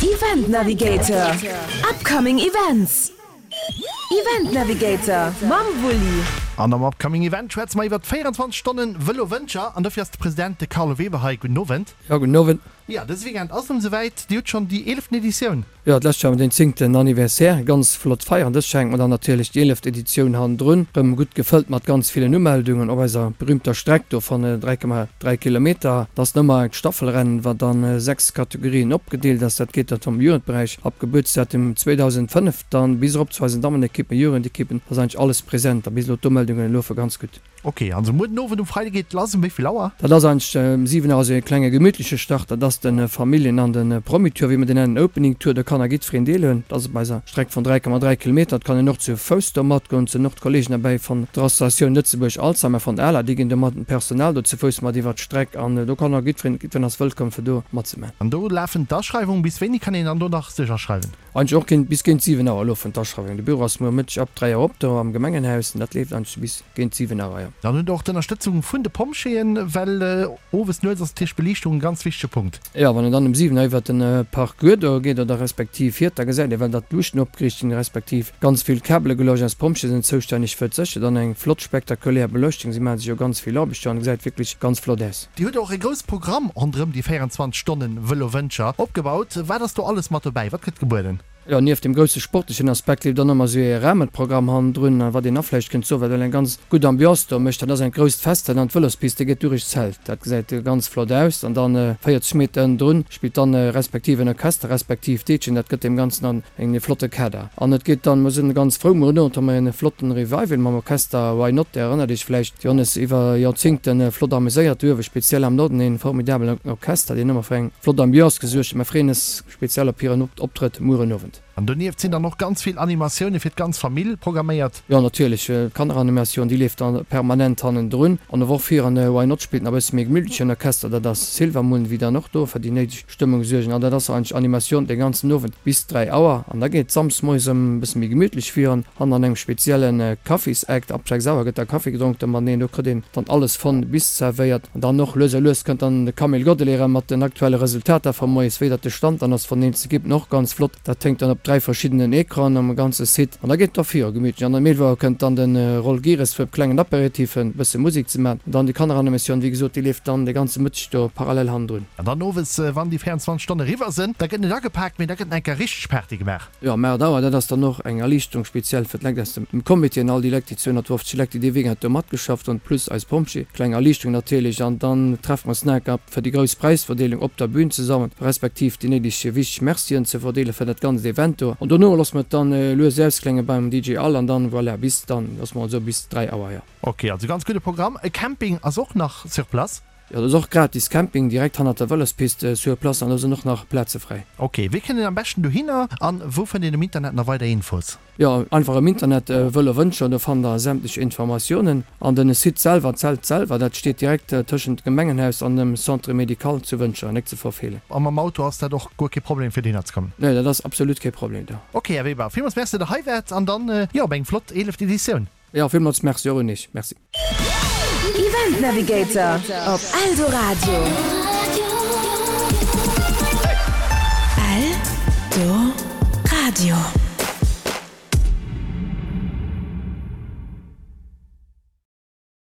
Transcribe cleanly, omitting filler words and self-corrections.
Event Navigator, Upcoming Events. Event Navigator mam Wulli. An am Upcoming Event schwätze mer iwwert 24 Stonnen Vëlo Wëntger an dofir ass de President, de Carlo Weber hei. Gudden Owend. Jo, gudden Owend. Jo, dëse Weekend ass et erëm esouwäit. Dir hutt schonn déi eeleften Editioun. Jo, d'lescht Joer den zéngten Anniversaire, ganz flott Feier. An dëst Joer hänkt mer dann natierlech déi eeleft Editioun hannendrun, rëm gutt gefëllt mat ganz villen Umeldungen op eiser berühmter Streck do van 3,3 Kilometer. Dat ass nëmmer eng Staffelrennen, wat an 6 Kategorien opgedeelt ass. Dat geet dann vum Jugendberäich ab Gebuertsdatum 2005 dann bis erop zu eisen Dammenekippen, Jugendekippen, ass eigentlech alles present a bis elo d'Umeldungen lofe ganz gutt. Ok, also muer den Owend um Freide geet et lass. Um wéi vill Auer? Dat ass eigentlech um 7 Auer, also e klenge gemütleche Start. Dat ass de Familljen an de Promi-Tour, wéi mer deen nennen, Opening Tour. Do kann a jiddwereen deelhuelen. Dat ass op eiser Streck vun 3,3 Kilometer. Et kann een och zu Fouss do matgoen. Et sinn och d'Kollegen derbäi vun der Associatioun Lëtzebuerg Alzheimer vun der ala. Déi ginn do mat dem Personal do zu Fouss mat iwwert d'Streck an do kann och jiddwereen, jiddwereen ass wëllkomm fir do matzemaachen. An do lafen d'Aschreiwungen. Bis wéini kann een dann do nach sech aschreiwen? Eigentlech och géint bis géint 7 Auer elo vun d'Aschreiwung. De Büro ass muer Mëtteg ab 3 Auer op do am Gemengenhaus an dat leeft eigentlech bis géint 7 Auer, jo. Dann hutt der och d'Ënnerstëtzung vun de Pompjeeën, well owes nuets ass natierlech d'Beliichtung e ganz wichtege Punkt. Jo, wann een dann um 7 Auer iwwert de Parcours do geet oder respektiv fiert, da gesäit ee well datt d'Luuchten opgeriicht sinn, respektiv ganz vill Kabele geluecht. Eis Pompjeeë sinn zoustänneg fir d'Sécherheet an eng flott spektakulär Beleuchtung. Si maache sech jo ganz vill Aarbecht do an et gesäit wierklech ganz flott aus. Dir hutt och e grousse Programm ronderëm déi 24 Stonnen Vëlo Wëntger opgebaut. Wat ass do alles mat dobäi? Wat gëtt gebueden? Jo, nieft dem grousse sportlechen Aspekt leeft och nach ëmmer esou ee Rahmenprogramm hannendrun. A wat een nach vläicht kënnt soen, wat well eng ganz gutt Ambiance do mécht, dat ass eng grousst Fest, dat an d'Vëlospiste geet durich d'Zelt. Dat gesäit ganz flott aus. An dann 40 Meter ënnendrun spillt dann respektiv en Orchester respektiv d'Deetschen. Dat gëtt deem Ganzen dann En flotte Kader. An et geet dann, mer sinn ganz frou, muer den Owend hu mer en flotten Revival mam Orchester Why Not, Dir erënnert Iech vläicht, déi hunn es iwwer Joerzingten flott ameséiert do uewe, speziell am Norden, en formidabelen Orchester, deen ëmmer fir eng flott Ambiance gesuergt huet. Mer freeën es speziell op hiren Optrëtt muer en Owend. An donieft sinn dann och ganz vill Animatioune fir d'ganz Famill programméiert. Jo natierlech, d'Kanneranimatioun déi leeft dann permanent hannendrun. An och fir en Why Not spillt nach e bësse méi gemütlechen Orchester, dat ass Silvermoon, wéi dann och do fir déi néideg Stëmmung suergen an dat ass eigentlech Animatioun de ganzen Owend bis 3 Auer an da geet Samsdes moies ëm e bësse méi gemütlech virun an an engem spezielle Kaffisakt. Ab 6 Auer gëtt da Kaffi gedronk da mateneen, do kritt een dann alles von bis zerwéiert an dann och lues a lues kënnt dann de Camille Godelet erëm mat den aktuelle Resultater vu moies, wéi dat de Stand dann ass von den Ekippen, och ganz flott. Dat hänkt dann op 3 verschiddenen Ecranen am ganze Site an da geet et da viru gemütlech. An um 11 Auer kënnt dann de Roll Gires fir e klengen Apéritif, e bësse Musek ze maachen an dann déi Kanneranimatioun, wéi gesot, déi leeft dann de ganze Mëtteg do parallel hannendrun. An dann owes, wann déi 24 Stonne eriwwer sënn, da gëtt net agepaakt, mee da gëtt nach eng Kéier richteg Party gemaach. Jo, am 8 Auer, dat ass dann och eng Erliichterung, speziell fir d'Lekt aus dem Comité an all déi Lekt, déi 250 Lekt, déi dee Weekend do matgeschafft hunn, plus eis Pompjee. Kleng Erliichterung natierlech. An dann treffe mer eis nach eng Kéier fir déi grouss Präisverdeelung op der Bühn zesammen, respektiv déi néideg wichteg Mercien ze verdeelen fir dat ganzt Event do. An dono loosse mer et dann lues ausklénge beim DJ Al an dann, voilà, bis dann, loosse mer mol soe bis 3 Auer, jo. Ok, also ganz gudde Programm. E Camping ass och nach sur place? Jo, do ass och gratis Camping direkt hannert der Vëlospist sur place an do sinn och nach Plaze fräi. Ok, wéi kënnt een am beschten dohinner an wou fënnt een um Internet nach weider Infos? Jo, einfach am Internet Vëlo Wëntger, do fannt der sämtlech Informatiounen. An den Site selwer, d'Zelt selwer, dat steet direkt tëschent Gemengenhaus an dem Centre Médical zu Wëntger, nek ze verfeelen. A mam Auto ass dat och guer kee Problem fir dohinner ze kommen? Nee, dat ass absolut kee Problem do. Ok, Här Weber, villmools Merci, datt der hei waart an dann, jo, op eng flott eeleft Editioun. Jo, villmools Merci och un Iech. Merci. Event Navigator op Eldoradio. Eldoradio.